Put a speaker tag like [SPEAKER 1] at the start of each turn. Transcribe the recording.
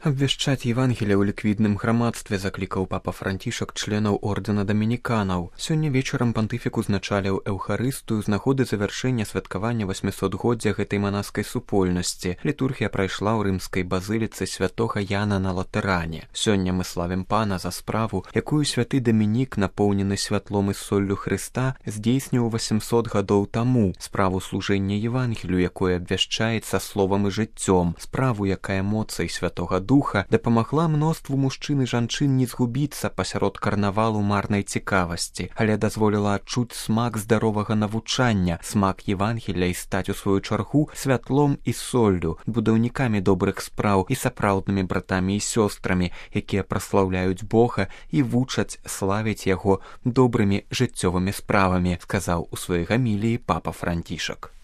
[SPEAKER 1] Абвяшчаць Евангелие ў ліквідным грамадстве заклікаў папа Францішак членаў ордэна дамініканаў. Сёння вечарам пантыфік узначаліў эўхарыстыю з нагоды завяршэння святкавання 800годдзя гэтай манаскай супольнасці. Літургія прайшла ў рымскай базыліцы святога Яна на Латэране. Сёння мы славім пана за справу, якую святы Дамінік, напоўнены святлом і соллю Хрыста, здзейсніў 800 гадоў таму, справу служэння Евангелію, якое абвяшчаецца словам і жыццём, справу, якая моцай святога духа дапамагла мноству мужчын і жанчын не згубіцца пасярод карнавалу марнай цікавасці, але дазволіла адчуць смак здаровага навучання, смак Евангелля і стаць у сваю чаргу святлом і соллю, будаўнікамі добрых спраў і сапраўднымі братамі і сёстрамі, якія праслаўляюць Бога і вучаць славіць яго добрымі жыццёвымі справамі, сказаў у сваёй гаміліі папа Францішак.